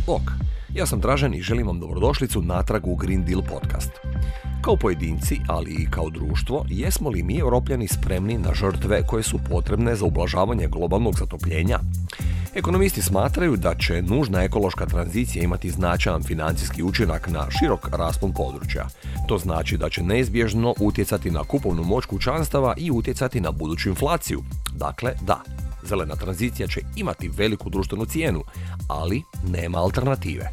Ok, ja sam Dražen i želim vam dobrodošlicu natrag u Green Deal podcast. Kao pojedinci, ali i kao društvo, jesmo li mi Europljani spremni na žrtve koje su potrebne za ublažavanje globalnog zatopljenja? Ekonomisti smatraju da će nužna ekološka tranzicija imati značajan financijski učinak na širok raspon područja. To znači da će neizbježno utjecati na kupovnu moć kućanstava i utjecati na buduću inflaciju. Dakle, da, zelena tranzicija će imati veliku društvenu cijenu, ali nema alternative.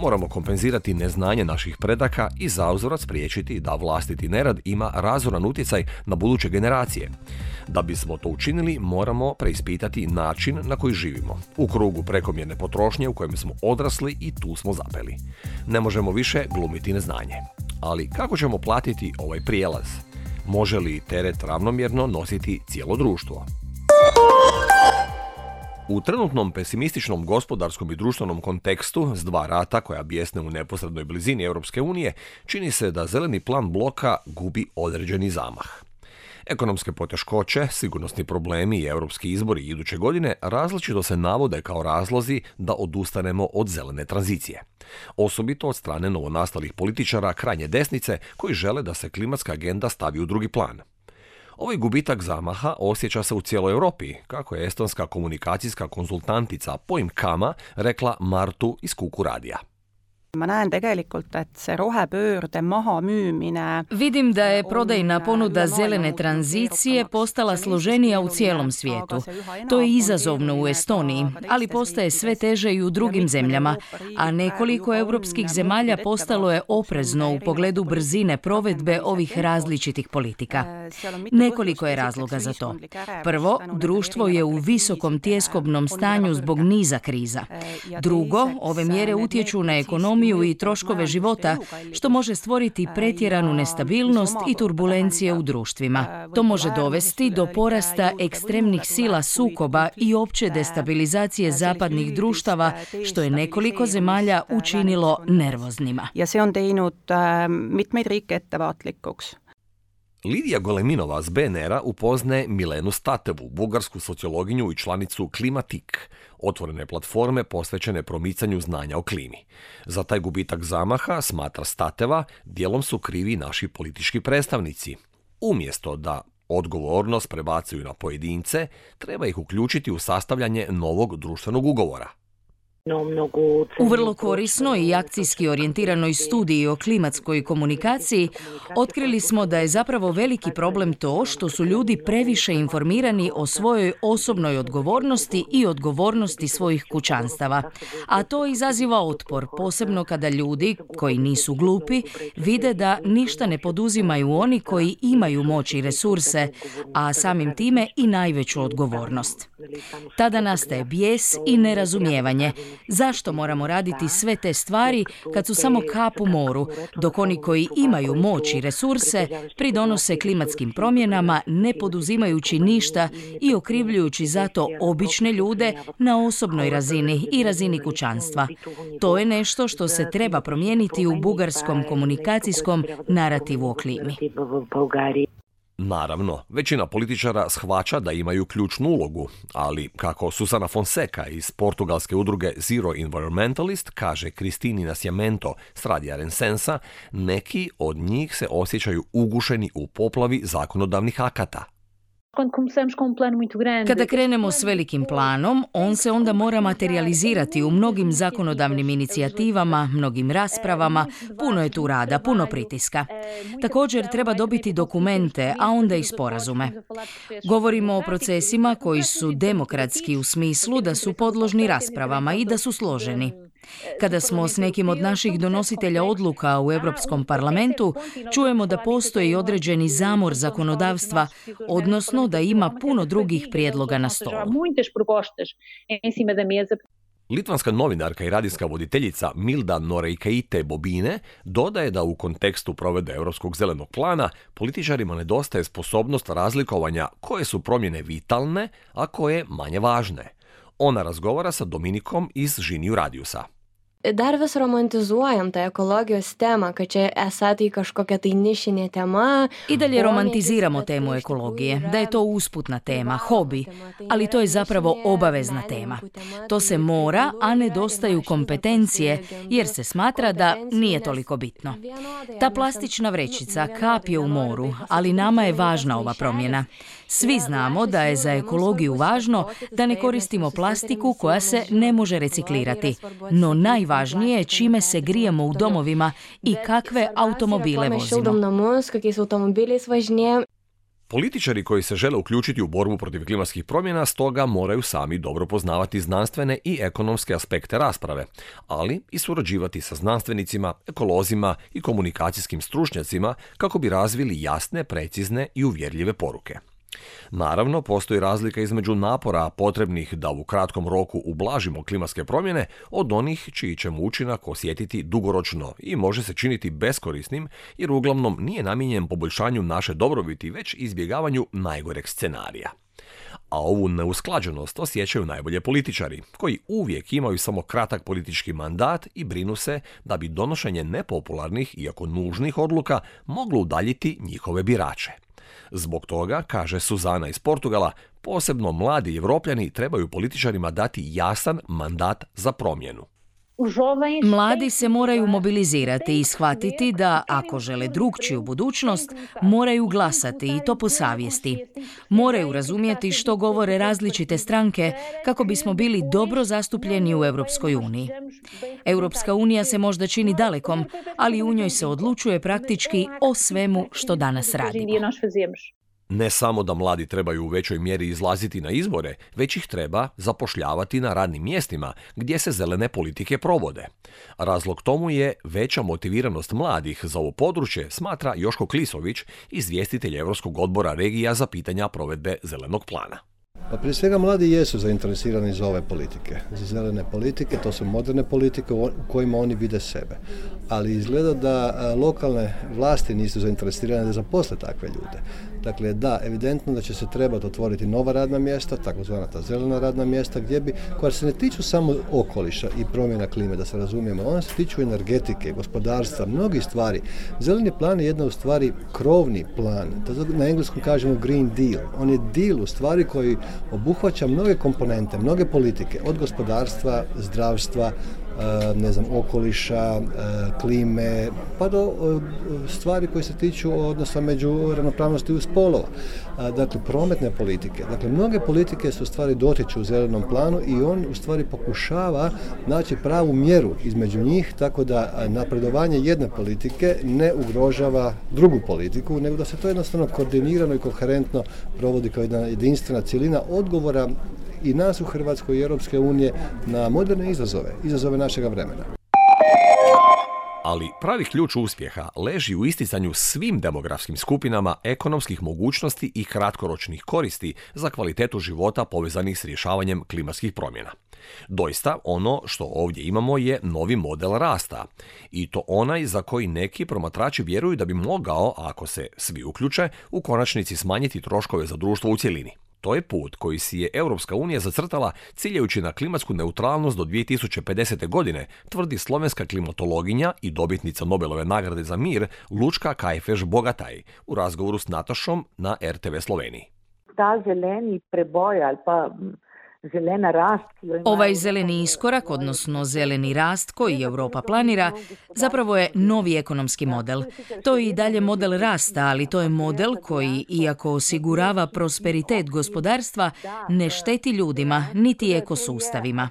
Moramo kompenzirati neznanje naših predaka i zauzvrat spriječiti da vlastiti nerad ima razoran utjecaj na buduće generacije. Da bismo to učinili, moramo preispitati način na koji živimo, u krugu prekomjerne potrošnje u kojem smo odrasli i tu smo zapeli. Ne možemo više glumiti neznanje. Ali kako ćemo platiti ovaj prijelaz? Može li teret ravnomjerno nositi cijelo društvo? U trenutnom pesimističnom gospodarskom i društvenom kontekstu s dva rata koja bijesne u neposrednoj blizini Europske unije, čini se da zeleni plan bloka gubi određeni zamah. Ekonomske poteškoće, sigurnosni problemi i europski izbori iduće godine različito se navode kao razlozi da odustanemo od zelene tranzicije. Osobito od strane novonastalih političara krajnje desnice koji žele da se klimatska agenda stavi u drugi plan. Ovaj gubitak zamaha osjeća se u cijeloj Europi, kako je estonska komunikacijska konzultantica Poim Kama rekla Martu iz Kuku radija. Vidim da je prodajna ponuda zelene tranzicije postala složenija u cijelom svijetu. To je izazovno u Estoniji, ali postaje sve teže i u drugim zemljama, a nekoliko europskih zemalja postalo je oprezno u pogledu brzine provedbe ovih različitih politika. Nekoliko je razloga za to. Prvo, društvo je u visokom tjeskobnom stanju zbog niza kriza. Drugo, ove mjere utječu na ekonomiju i troškove života, što može stvoriti pretjeranu nestabilnost i turbulencije u društvima. To može dovesti do porasta ekstremnih sila sukoba i opće destabilizacije zapadnih društava, što je nekoliko zemalja učinilo nervoznima. Lidija Goleminova s BNR-a upoznaje Milenu Statevu, bugarsku sociologinju i članicu Klimatik, otvorene platforme posvećene promicanju znanja o klimi. Za taj gubitak zamaha, smatra Stateva, dijelom su krivi naši politički predstavnici. Umjesto da odgovornost prebacuju na pojedince, treba ih uključiti u sastavljanje novog društvenog ugovora. U vrlo korisnoj i akcijski orijentiranoj studiji o klimatskoj komunikaciji otkrili smo da je zapravo veliki problem to što su ljudi previše informirani o svojoj osobnoj odgovornosti i odgovornosti svojih kućanstava. A to izaziva otpor, posebno kada ljudi, koji nisu glupi, vide da ništa ne poduzimaju oni koji imaju moć i resurse, a samim time i najveću odgovornost. Tada nastaje bijes i nerazumijevanje. Zašto moramo raditi sve te stvari kad su samo kap u moru, dok oni koji imaju moć i resurse pridonose klimatskim promjenama ne poduzimajući ništa i okrivljujući zato obične ljude na osobnoj razini i razini kućanstva. To je nešto što se treba promijeniti u bugarskom komunikacijskom narativu o klimi. Naravno, većina političara shvaća da imaju ključnu ulogu, ali kako Susana Fonseca iz portugalske udruge Zero Environmentalist kaže Kristini Nascimento s radija Rensensa, neki od njih se osjećaju ugušeni u poplavi zakonodavnih akata. Kada krenemo s velikim planom, on se onda mora materializirati u mnogim zakonodavnim inicijativama, mnogim raspravama, puno je tu rada, puno pritiska. Također treba dobiti dokumente, a onda i sporazume. Govorimo o procesima koji su demokratski u smislu da su podložni raspravama i da su složeni. Kada smo s nekim od naših donositelja odluka u Europskom parlamentu, čujemo da postoji određeni zamor zakonodavstva, odnosno da ima puno drugih prijedloga na stolu. Litvanska novinarka i radijska voditeljica Milda Noreikaite Bobine dodaje da u kontekstu provedbe Europskog zelenog plana političarima nedostaje sposobnost razlikovanja koje su promjene vitalne, a koje manje važne. Ona razgovara sa Dominikom iz Žiniju Radiusa. Dar vis romantizuojam tą ekologijos temą, kad čia esą tai kažkokia tai nišinė tema. I dalje romantiziramo temu ekologije, da je to usputna tema, hobi, ali to je zapravo obavezna tema. To se mora, a nedostaju kompetencije, jer se smatra da nije toliko bitno. Ta plastična vrećica kap je u moru, ali nama je važna ova promjena. Svi znamo da je za ekologiju važno da ne koristimo plastiku koja se ne može reciklirati, no najvažnije je čime se grijemo u domovima i kakve automobile vozimo. Političari koji se žele uključiti u borbu protiv klimatskih promjena stoga moraju sami dobro poznavati znanstvene i ekonomske aspekte rasprave, ali i surađivati sa znanstvenicima, ekolozima i komunikacijskim stručnjacima kako bi razvili jasne, precizne i uvjerljive poruke. Naravno, postoji razlika između napora potrebnih da u kratkom roku ublažimo klimatske promjene od onih čiji ćemo učinak osjetiti dugoročno i može se činiti beskorisnim jer uglavnom nije namijenjen poboljšanju naše dobrobiti već izbjegavanju najgoreg scenarija. A ovu neusklađenost osjećaju najbolje političari, koji uvijek imaju samo kratak politički mandat i brinu se da bi donošenje nepopularnih, iako nužnih odluka moglo udaljiti njihove birače. Zbog toga, kaže Suzana iz Portugala, posebno mladi Evropljani trebaju političarima dati jasan mandat za promjenu. Mladi se moraju mobilizirati i shvatiti da, ako žele drukčiju budućnost, moraju glasati i to po savjesti. Moraju razumjeti što govore različite stranke kako bismo bili dobro zastupljeni u Europskoj uniji. Europska unija se možda čini dalekom, ali u njoj se odlučuje praktički o svemu što danas radimo. Ne samo da mladi trebaju u većoj mjeri izlaziti na izbore, već ih treba zapošljavati na radnim mjestima gdje se zelene politike provode. Razlog tomu je veća motiviranost mladih za ovo područje, smatra Joško Klisović, izvjestitelj Europskog odbora regija za pitanja provedbe zelenog plana. Pa prije svega mladi jesu zainteresirani za ove politike, za zelene politike, to su moderne politike u kojima oni vide sebe. Ali izgleda da lokalne vlasti nisu zainteresirane da zaposle takve ljude. Dakle, da, evidentno da će se trebati otvoriti nova radna mjesta, takozvana ta zelena radna mjesta, koja se ne tiču samo okoliša i promjena klime, da se razumijemo, ona se tiču energetike, gospodarstva, mnogih stvari. Zeleni plan je jedna u stvari krovni plan, na engleskom kažemo Green Deal. On je deal u stvari koji obuhvaća mnoge komponente, mnoge politike, od gospodarstva, zdravstva, okoliša, klime, pa do stvari koje se tiču odnosa među ravnopravnosti spolova. Dakle, prometne politike. Dakle, mnoge politike su u stvari dotiču u zelenom planu i on u stvari pokušava naći pravu mjeru između njih, tako da napredovanje jedne politike ne ugrožava drugu politiku, nego da se to jednostavno koordinirano i koherentno provodi kao jedna jedinstvena cjelina odgovora i nas u Hrvatskoj i Europske unije na moderne izazove našega vremena. Ali pravi ključ uspjeha leži u isticanju svim demografskim skupinama ekonomskih mogućnosti i kratkoročnih koristi za kvalitetu života povezanih s rješavanjem klimatskih promjena. Doista, ono što ovdje imamo je novi model rasta. I to onaj za koji neki promatrači vjeruju da bi mogao, ako se svi uključe, u konačnici smanjiti troškove za društvo u cjelini. To je put koji si je Europska unija zacrtala ciljajući na klimatsku neutralnost do 2050. godine, tvrdi slovenska klimatologinja i dobitnica Nobelove nagrade za mir Lučka Kajfež-Bogataj u razgovoru s Natašom na RTV Sloveniji. Ta zeleni preboj ali pa zelena rast. Ovaj zeleni iskorak, odnosno zeleni rast koji Europa planira, zapravo je novi ekonomski model. To je i dalje model rasta, ali to je model koji, iako osigurava prosperitet gospodarstva, ne šteti ljudima niti ekosustavima.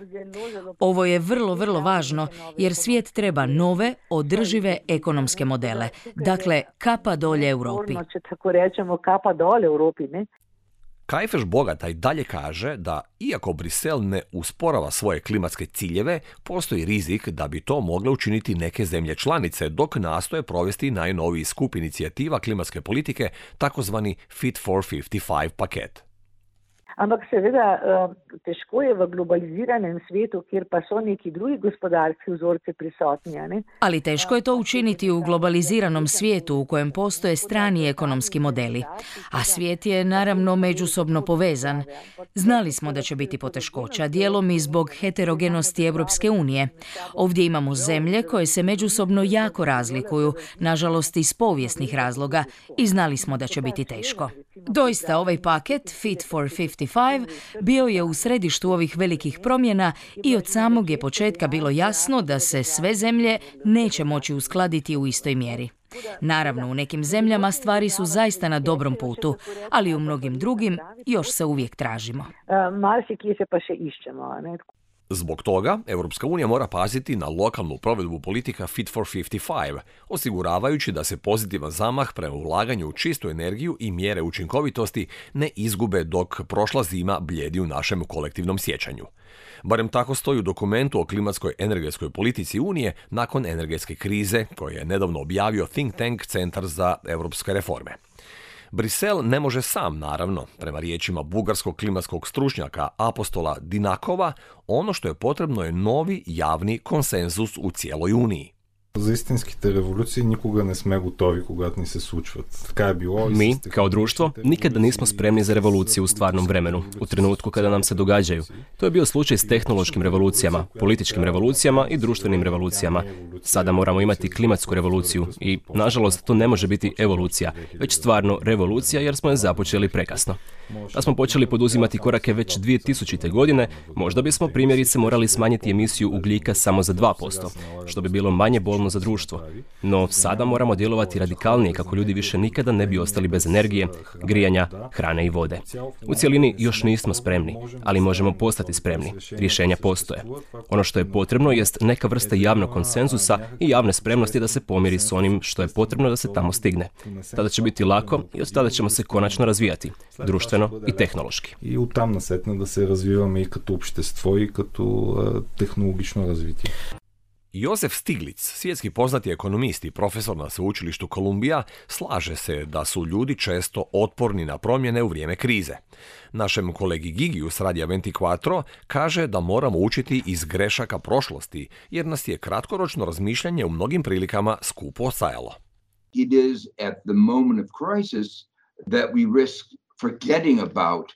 Ovo je vrlo, vrlo važno jer svijet treba nove, održive ekonomske modele. Dakle, kapa dolje Europi. Tako rečemo, kapa dolje Europi, ne? Kajfež-Bogataj dalje kaže da, iako Brisel ne usporava svoje klimatske ciljeve, postoji rizik da bi to mogle učiniti neke zemlje članice dok nastoje provesti najnoviji skup inicijativa klimatske politike, takozvani Fit for 55 paket. Ampak seveda težko je v globaliziranem svetu, kjer pa so neki drugi gospodarski vzorci prisotni. Ne? Ali teško je to učiniti u globaliziranom svijetu u kojem postoje strani ekonomski modeli. A svijet je naravno međusobno povezan. Znali smo da će biti poteškoća, dijelom i zbog heterogenosti Europske unije. Ovdje imamo zemlje koje se međusobno jako razlikuju, nažalost iz povijesnih razloga, i znali smo da će biti teško. Doista, ovaj paket Fit for 55 bio je u središtu ovih velikih promjena i od samog je početka bilo jasno da se sve zemlje neće moći uskladiti u istoj mjeri. Naravno, u nekim zemljama stvari su zaista na dobrom putu, ali u mnogim drugim još se uvijek tražimo. Marsikje se pa še iščemo, ne? Zbog toga, Europska unija mora paziti na lokalnu provedbu politika Fit for 55, osiguravajući da se pozitivan zamah prema ulaganju u čistu energiju i mjere učinkovitosti ne izgube dok prošla zima blijedi u našem kolektivnom sjećanju. Barem tako stoji u dokumentu o klimatskoj energetskoj politici Unije nakon energetske krize koje je nedavno objavio think tank Centar za europske reforme. Brisel ne može sam, naravno, prema riječima bugarskog klimatskog stručnjaka Apostola Dinakova, ono što je potrebno je novi javni konsenzus u cijeloj Uniji. За истинските революции никога не сме готови, когато ни се случват. Така е било. Mi, kao društvo, nikada nismo spremni za revoluciju u stvarnom vremenu, u trenutku kada nam se događaju. To je bio slučaj s tehnološkim revolucijama, političkim revolucijama i društvenim revolucijama. Sada moramo imati klimatsku revoluciju i, nažalost, to ne može biti evolucija, već stvarno revolucija jer smo je započeli prekasno. Da smo počeli poduzimati korake već 2000. godine, možda bismo primjerice morali smanjiti emisiju ugljika samo za 2%, što bi bilo manje bolno za društvo. No sada moramo djelovati radikalnije kako ljudi više nikada ne bi ostali bez energije, grijanja, hrane i vode. U cjelini još nismo spremni, ali možemo postati spremni. Rješenja postoje. Ono što je potrebno jest neka vrsta javnog konsenzusa i javne spremnosti da se pomiri s onim što je potrebno da se tamo stigne. Tada će biti lako i od tada ćemo se konačno razvijati, društveno i tehnološki. И оттам насетне да се развиваме и като общество, и като технологично развитие. Josef Stiglitz, svjetski poznati ekonomist i profesor na sveučilištu Columbia, slaže se da su ljudi često otporni na promjene u vrijeme krize. Našem kolegi Gigiju s Radija 24 kaže da moramo učiti iz grešaka prošlosti, jer nas je kratkoročno razmišljanje u mnogim prilikama skupo stajalo. It is at the moment of crisis that we risk forgetting about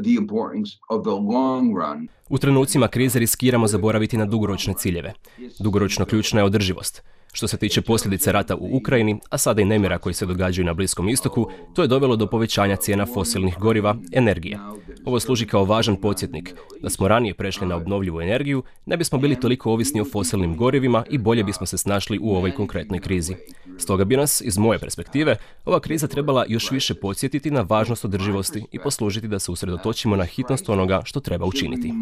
the importance of the long run. U trenucima krize riskiramo zaboraviti na dugoročne ciljeve. Dugoročno ključna je održivost. Što se tiče posljedica rata u Ukrajini, a sada i nemira koji se događaju na Bliskom istoku, to je dovelo do povećanja cijena fosilnih goriva, energije. Ovo služi kao važan podsjetnik. Da smo ranije prešli na obnovljivu energiju, ne bismo bili toliko ovisni o fosilnim gorivima i bolje bismo se snašli u ovoj konkretnoj krizi. Stoga bi nas, iz moje perspektive, ova kriza trebala još više podsjetiti na važnost održivosti i poslužiti da se usredotočimo na hitnost onoga što treba učiniti.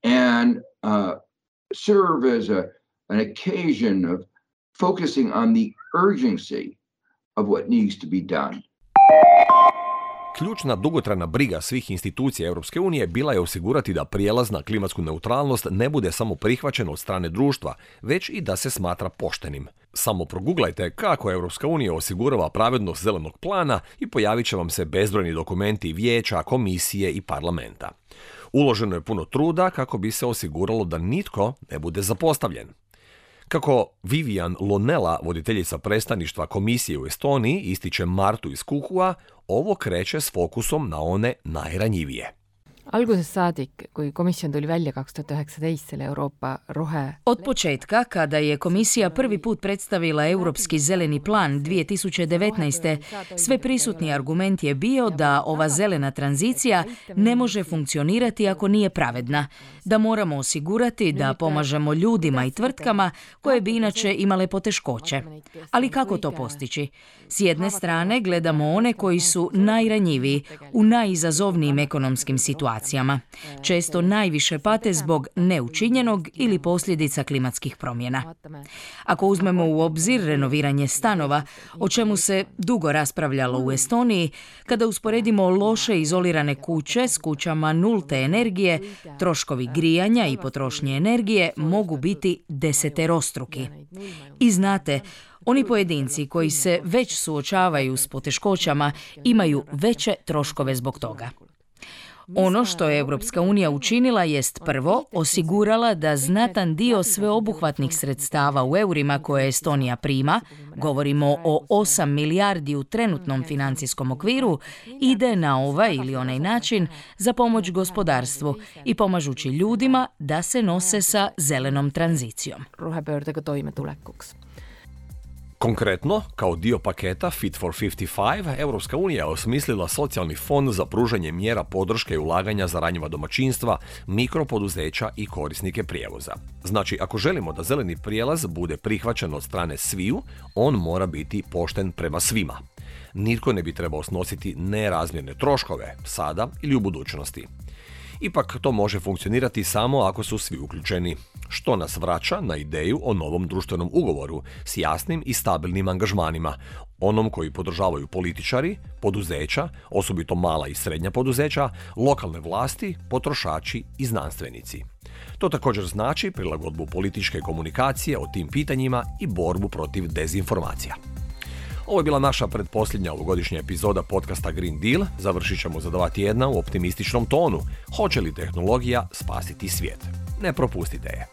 And serve as an occasion of focusing on the urgency of what needs to be done. Ključna dugotrajna briga svih institucija Europske unije bila je osigurati da prijelaz na klimatsku neutralnost ne bude samo prihvaćen od strane društva, već i da se smatra poštenim. Samo proguglajte kako Europska unija osigurava pravednost zelenog plana i pojavit će vam se bezbrojni dokumenti vijeća, komisije i parlamenta. Uloženo je puno truda kako bi se osiguralo da nitko ne bude zapostavljen. Kako Vivian Lonella, voditeljica predstavništva komisije u Estoniji, ističe Martu iz Kuhua, ovo kreće s fokusom na one najranjivije. Algusest saadik, kui komisjon tuli välja 2019 selle Euroopa rohe... Od početka, kada je komisija prvi put predstavila Europski zeleni plan 2019. sve prisutni argument je bio da ova zelena tranzicija ne može funkcionirati ako nije pravedna, da moramo osigurati da pomažemo ljudima i tvrtkama koje bi inače imale poteškoće. Ali kako to postići? S jedne strane gledamo one koji su najranjiviji u najizazovnijim ekonomskim situacijama. Često najviše pate zbog neučinjenog ili posljedica klimatskih promjena. Ako uzmemo u obzir renoviranje stanova, o čemu se dugo raspravljalo u Estoniji, kada usporedimo loše izolirane kuće s kućama nulte energije, troškovi grijanja i potrošnje energije mogu biti deseterostruki. I znate, Oni pojedinci koji se već suočavaju s poteškoćama imaju veće troškove zbog toga. Ono što je Europska unija učinila jest prvo osigurala da znatan dio sveobuhvatnih sredstava u eurima koje Estonija prima, govorimo o 8 milijardi u trenutnom financijskom okviru, ide na ovaj ili onaj način za pomoć gospodarstvu i pomažući ljudima da se nose sa zelenom tranzicijom. Konkretno, kao dio paketa Fit for 55, Europska unija je osmislila socijalni fond za pružanje mjera podrške i ulaganja za ranjiva domaćinstva, mikropoduzeća i korisnike prijevoza. Znači, ako želimo da zeleni prijelaz bude prihvaćen od strane sviju, on mora biti pošten prema svima. Nitko ne bi trebao snositi nerazmjerne troškove, sada ili u budućnosti. Ipak to može funkcionirati samo ako su svi uključeni, što nas vraća na ideju o novom društvenom ugovoru s jasnim i stabilnim angažmanima, onom koji podržavaju političari, poduzeća, osobito mala i srednja poduzeća, lokalne vlasti, potrošači i znanstvenici. To također znači prilagodbu političke komunikacije o tim pitanjima i borbu protiv dezinformacija. Ovo je bila naša pretposljednja ovogodišnja epizoda podcasta Green Deal. Završit ćemo za 2 tjedna u optimističnom tonu. Hoće li tehnologija spasiti svijet? Ne propustite je.